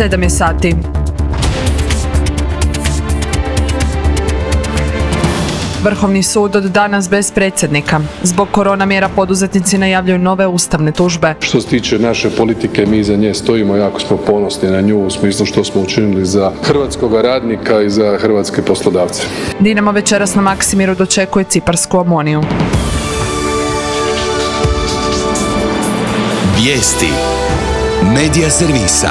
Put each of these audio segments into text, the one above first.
7 je sati. Vrhovni sud od danas bez predsjednika. Zbog korona mjera poduzetnici najavljuju nove ustavne tužbe. Što se tiče naše politike, mi za nje stojimo, jako smo ponosni na nju u smislu što smo učinili za hrvatskog radnika i za hrvatske poslodavce. Dinamo večeras na Maksimiru dočekuje Ciparsku Omoniju. Vijesti Medija servisa.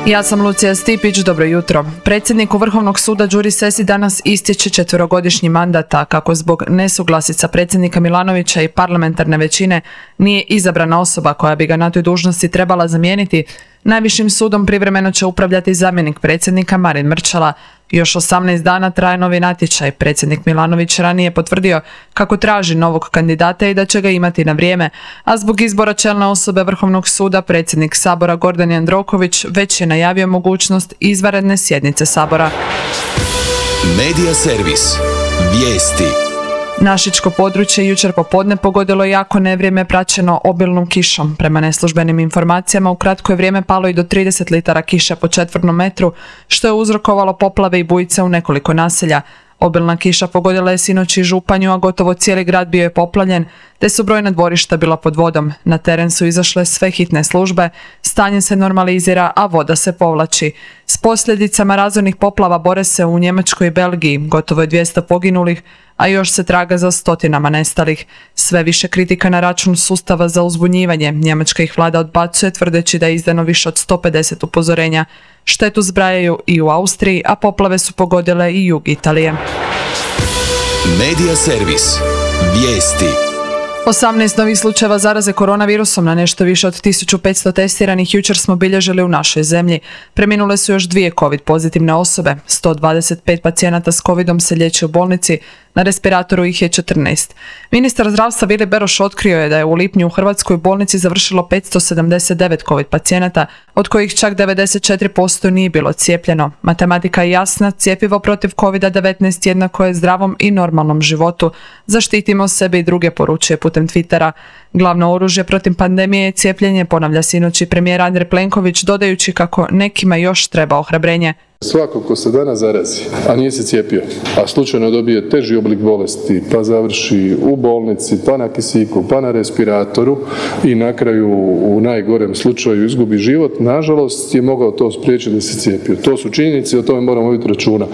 Ja sam Lucija Stipić, dobro jutro. Predsjedniku Vrhovnog suda Đuri Sesi danas istječe 4-godišnji mandat, a kako zbog nesuglasica predsjednika Milanovića i parlamentarne većine nije izabrana osoba koja bi ga na toj dužnosti trebala zamijeniti, Najvišim sudom privremeno će upravljati zamjenik predsjednika Marin Mrčela. Još 18 dana traje novi natječaj. Predsjednik Milanović ranije potvrdio kako traži novog kandidata i da će ga imati na vrijeme, a zbog izbora čelne osobe Vrhovnog suda predsjednik Sabora Gordan Jandroković već je najavio mogućnost izvanredne sjednice Sabora. Medija servis. Vijesti. Našičko područje jučer popodne pogodilo jako nevrijeme praćeno obilnom kišom. Prema neslužbenim informacijama u kratko je vrijeme palo i do 30 litara kiše po četvrtnom metru, što je uzrokovalo poplave i bujice u nekoliko naselja. Obilna kiša pogodila je sinoć i Županju, a gotovo cijeli grad bio je poplavljen, te su brojna dvorišta bila pod vodom. Na teren su izašle sve hitne službe, stanje se normalizira, a voda se povlači. S posljedicama razornih poplava bore se u Njemačkoj i Belgiji, gotovo je 200 poginulih, a još se traga za stotinama nestalih. Sve više kritika na račun sustava za uzbunjivanje. Njemačka ih vlada odbacuje tvrdeći da je izdano više od 150 upozorenja. Štetu zbrajaju i u Austriji, a poplave su pogodile i jug Italije. Medija servis. Vijesti. 18 novih slučajeva zaraze koronavirusom na nešto više od 1500 testiranih jučer smo bilježili u našoj zemlji. Preminule su još 2 COVID pozitivne osobe. 125 pacijenata s covidom se liječi u bolnici, na respiratoru ih je 14. Ministar zdravstva Vili Beroš otkrio je da je u lipnju u Hrvatskoj bolnici završilo 579 COVID pacijenata, od kojih čak 94% nije bilo cijepljeno. Matematika je jasna, cjepivo protiv COVID-19 jednako je zdravom i normalnom životu. Zaštitimo sebe i druge, poručuje putem Twittera. Glavno oružje protiv pandemije je cijepljenje, ponavlja sinoć i premijer Andrej Plenković, dodajući kako nekima još treba ohrabrenje. Svako ko se danas zarazi, a nije se cijepio, a slučajno dobije teži oblik bolesti, pa završi u bolnici, pa na kisiku, pa na respiratoru i na kraju u najgorem slučaju izgubi život, nažalost je mogao to spriječiti da se cijepio. To su činjenice i o tome moramo voditi računa.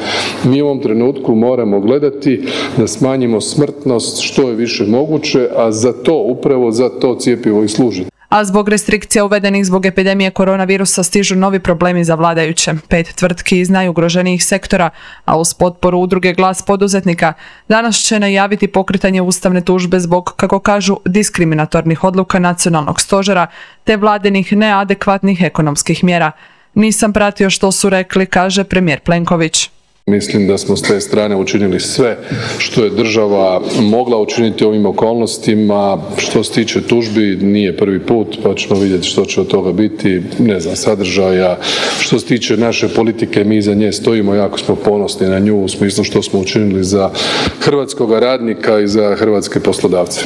Mi u ovom trenutku moramo gledati da smanjimo smrtnost što je više moguće, a za to, upravo za to cjepivo i služi. A zbog restrikcija uvedenih zbog epidemije koronavirusa stižu novi problemi za vladajuće. 5 tvrtki iz najugroženijih sektora, a uz potporu udruge Glas poduzetnika, danas će najaviti pokretanje ustavne tužbe zbog, kako kažu, diskriminatornih odluka nacionalnog stožera te vladinih neadekvatnih ekonomskih mjera. Nisam pratio što su rekli, kaže premijer Plenković. Mislim da smo s te strane učinili sve što je država mogla učiniti u ovim okolnostima. Što se tiče tužbi, nije prvi put, pa ćemo vidjeti što će od toga biti, sadržaja. Što se tiče naše politike, mi za nje stojimo, jako smo ponosni na nju u smislu što smo učinili za hrvatskog radnika i za hrvatske poslodavce.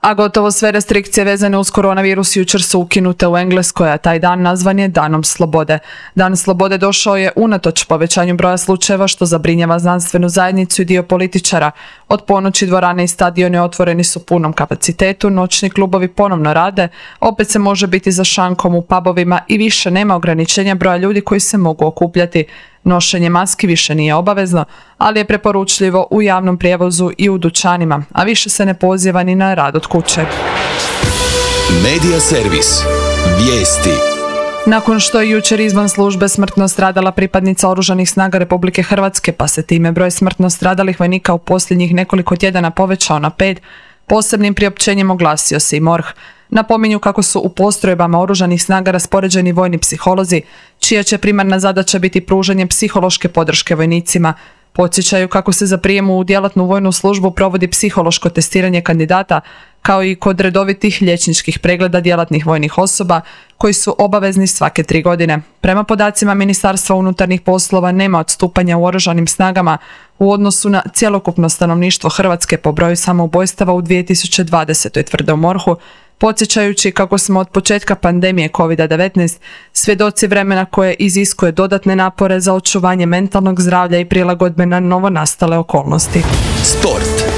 A gotovo sve restrikcije vezane uz koronavirus jučer su ukinute u Engleskoj, a taj dan nazvan je Danom slobode. Dan slobode došao je unatoč povećanju broja slučajeva što zabrinjava znanstvenu zajednicu i dio političara. Od ponoći dvorane i stadioni otvoreni su punom kapacitetu, noćni klubovi ponovno rade, opet se može biti za šankom u pubovima i više nema ograničenja broja ljudi koji se mogu okupljati. Nošenje maski više nije obavezno, ali je preporučljivo u javnom prijevozu i u dućanima, a više se ne poziva ni na rad od kuće. Medija servis. Vijesti. Nakon što je jučer izvan službe smrtno stradala pripadnica Oružanih snaga Republike Hrvatske, pa se time broj smrtno stradalih vojnika u posljednjih nekoliko tjedana povećao na 5, posebnim priopćenjem oglasio se i MORH. Napominju kako su u postrojbama Oružanih snaga raspoređeni vojni psiholozi, čija će primarna zadaća biti pružanje psihološke podrške vojnicima. Podsjećaju kako se za prijem u djelatnu vojnu službu provodi psihološko testiranje kandidata, kao i kod redovitih liječničkih pregleda djelatnih vojnih osoba, koji su obavezni svake 3 godine. Prema podacima Ministarstva unutarnjih poslova nema odstupanja u Oružanim snagama u odnosu na cjelokupno stanovništvo Hrvatske po broju samoubojstava u 2020. tvrde u MORH-u, podsjećajući kako smo od početka pandemije COVID-19 svjedoci vremena koje iziskuje dodatne napore za očuvanje mentalnog zdravlja i prilagodbe na novonastale okolnosti. Sport.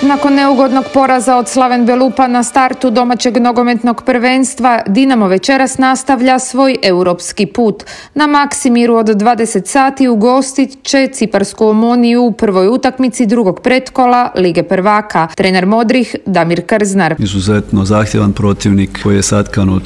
Nakon neugodnog poraza od Slaven Belupa na startu domaćeg nogometnog prvenstva, Dinamo večeras nastavlja svoj europski put. Na Maksimiru od 20 sati ugostit će ciparsku Omoniju u prvoj utakmici drugog pretkola Lige prvaka. Trener Modrih Damir Krznar. Izuzetno zahtjevan protivnik koji je satkan od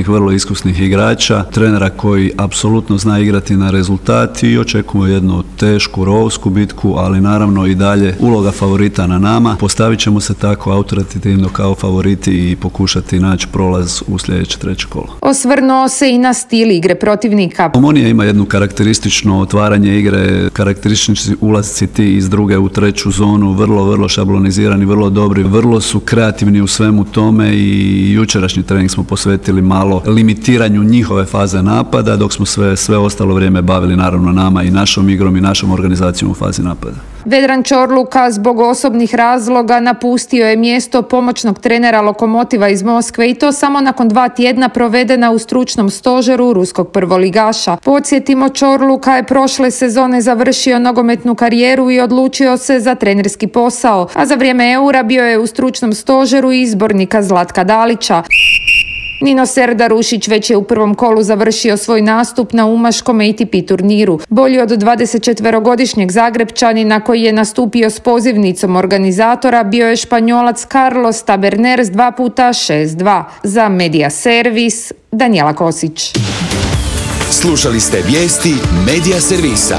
vrlo iskusnih igrača, trenera koji apsolutno zna igrati na rezultat i očekujemo jednu tešku, rovsku bitku, ali naravno i dalje uloga favorita na nama. Postavit ćemo se tako autoritativno kao favoriti i pokušati naći prolaz u sljedeće treće kolo. Osvrnuo se i na stil igre protivnika. Omonija ima jedno karakteristično otvaranje igre, karakteristični ulasci ti iz druge u treću zonu, vrlo šablonizirani, vrlo dobri, vrlo su kreativni u svemu tome i jučerašnji trening smo posvetili malo limitiranju njihove faze napada, dok smo sve ostalo vrijeme bavili naravno nama i našom igrom i našom organizacijom u fazi napada. Vedran Čorluka zbog osobnih razloga napustio je mjesto pomoćnog trenera Lokomotiva iz Moskve i to samo nakon 2 tjedna provedena u stručnom stožeru ruskog prvoligaša. Podsjetimo, Čorluka je prošle sezone završio nogometnu karijeru i odlučio se za trenerski posao, a za vrijeme Eura bio je u stručnom stožeru izbornika Zlatka Dalića. Nino Serdarušić već je u prvom kolu završio svoj nastup na umaškom ATP turniru. Bolji od 24-godišnjeg Zagrebčanina koji je nastupio s pozivnicom organizatora bio je Španjolac Carlos Taberner s 2x6-2. Za Media Servis, Danijela Kosić. Slušali ste vijesti Media Servisa.